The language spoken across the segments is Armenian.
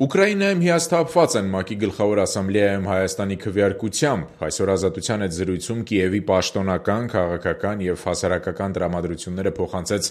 Ուկրաինայում հիասթափված են ՄԱԿ-ի գլխավոր ասամբլեայում Հայաստանի քվեարկությամբ։ Այսօր Ազատության հետ զրույցում Կիևի պաշտոնական, քաղաքական և հասարակական տրամադրությունները փոխանցեց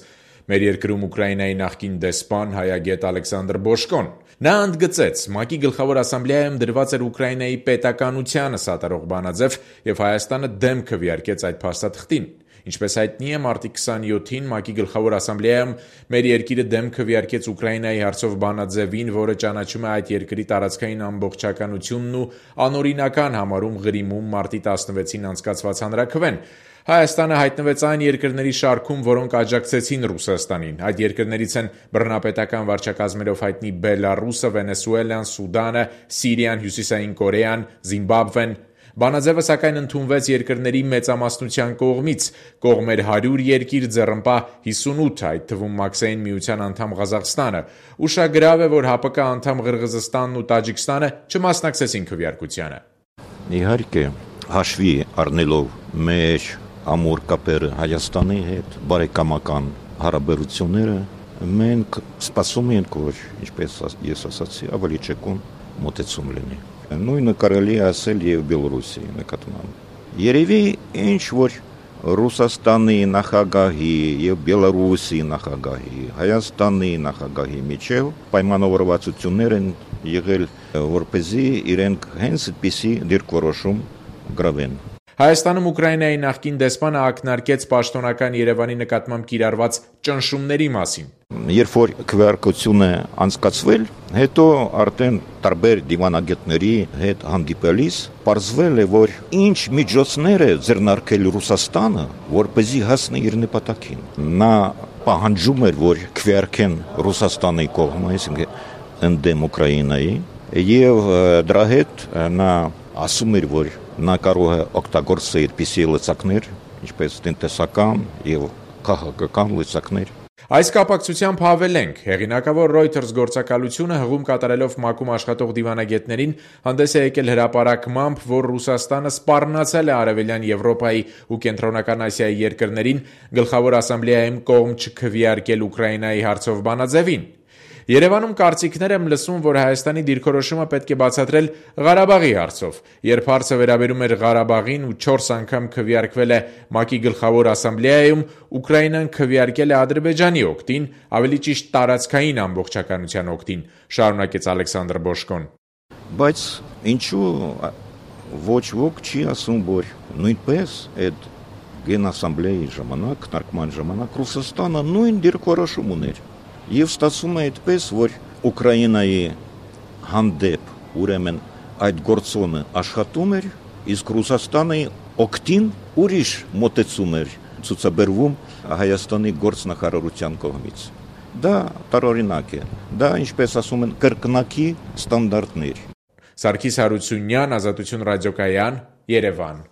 մեր երկրում Ուկրաինայի նախկին դեսպան, հայագետ Ալեքսանդր Բոշկոն։ Նա ընդգծեց, ՄԱԿ-ի գլխավոր ասամբլեայում դրված էր Ուկրաինայի պետականությանը սատարող բանաձև և Հայաստանը դեմ քվեարկեց այդ փաստաթղթին։ Ինչպես հայտնի է, մարտի 27-ին ՄԱԿ-ի գլխավոր ասամբլեայում մեր երկիրը դեմ քվեարկեց Ուկրաինայի հարցով բանաձևին, որը ճանաչում է այդ երկրի տարածքային ամբողջականությունն ու անօրինական համարում Ղրիմում մարտի 16-ին անցկացված հանրաքվեն։ Հայաստանը հայտնվեց այն երկրների շարքում, որոնք աջակցեցին Ռուսաստանին։ Այդ երկրներից են բռնապետական վարչակազմերով հայտնի Բելառուսը, Վենեսուելան, Սուդանը, Սիրիան, Հյուսիսային Կորեան, Զիմբաբվեն։ Բանաձևը սակայն ընդունվեց երկրների մեծամասնության կողմից, կողմ էր 100 երկիր, ձեռնպահ 58, այդ թվում Մաքսային միության անդամ Ղազախստանը։ Ուշագրավ է, որ ՀԱՊԿ անդամ Ղրղզստանն ու Տաջիկստանը չմասնակցեցին քվեարկությանը։ Իհարկե, հաշվի առնելով մեր ամուր կապերը Հայաստանի հետ, բարեկամական հարաբերությունները, մենք սպասում ենք, որ, ինչպես ես ասացի, ավելի ճկուն մոտեցում լինի։ Նույնը կարելի է ասել և Բելորուսիայի նկատմամբ։ Երևի ինչ որ Ռուսաստանի նախագահի և Բելորուսիի նախագահի, Հայաստանի նախագահի միջև պայմանավորվածություններ են եղել, որպեսզի իրենք հենց այդպիսի դիրքորոշում գրավեն։ Հայաստանում Ուկրաինայի նախկին դեսպանը ակնարկեց պաշտոնական Երևանի նկատմամբ կիրառված ճնշումների մասին։ Երբ որ քվեարկությունը անցկացվել, հետո արդեն տարբեր դիվանագետների հետ հանդիպելիս պարզվել է, որ ինչ միջոցներ է ձեռնարկել Ռուսաստանը, որպեսզի հասնի իր նպատակին։ Նա պահանջում էր, որ քվեարկեն Ռուսաստանի կողմը, այսինքն ընդդեմ Ուկրաինայի, եւ դրա հետ նա ասում էր, որ նա կարող է օգտագործել այդպիսի լծակներ, ինչպես տնտեսական եւ քաղաքական լծակներ։ Այս կապակցությամբ հավելենք, հեղինակավոր Reuters գործակալությունը հղում կատարելով ՄԱԿ-ում աշխատող դիվանագետներին հանդես է եկել հրապարակմամբ, որ Ռուսաստանը սպառնացել է Արևելյան Եվրոպայի ու Կենտրոնական Ասիայի երկրներին գլխավոր ասամբլեայում կողմ չքվեարկել Ուկրաինայի հարցով բանաձևին։ Երևանում կարծիքներ եմ լսում, որ Հայաստանի դիրքորոշումը պետք է բացատրել Ղարաբաղի հարցով։ Երբ հարցը վերաբերում էր Ղարաբաղին ու 4 անգամ քվեարկվել է ՄԱԿ-ի գլխավոր ասամբլեայում, Ուկրաինան քվեարկել է Ադրբեջանի օգտին, ավելի ճիշտ տարածքային ամբողջականության օգտին, շարունակեց Ալեքսանդր Բոշկոն։ Բայց ինչու ոչ ոք չի ասում, որ նույնպես այդ գենասամբլեայի ժամանակ, քննարկման ժամանակ Ռուսաստանը նույն դիրքորոշում ուներ։ Եվ ստացվում է այդպես, որ Ուկրաինայի հանդեպ ուրեմն այդ գործոնը աշխատում էր, իսկ Ռուսաստանի օգտին ուրիշ մոտեցում էր ցուցաբերվում Հայաստանի գործնախարարության կողմից։ Դա տարօրինակ է, դա, ինչպես ասում են, կրկնակի ստանդարտներ։ Սարգիս Հարությունյան, Ազատություն ռադիոկայան, Երևան։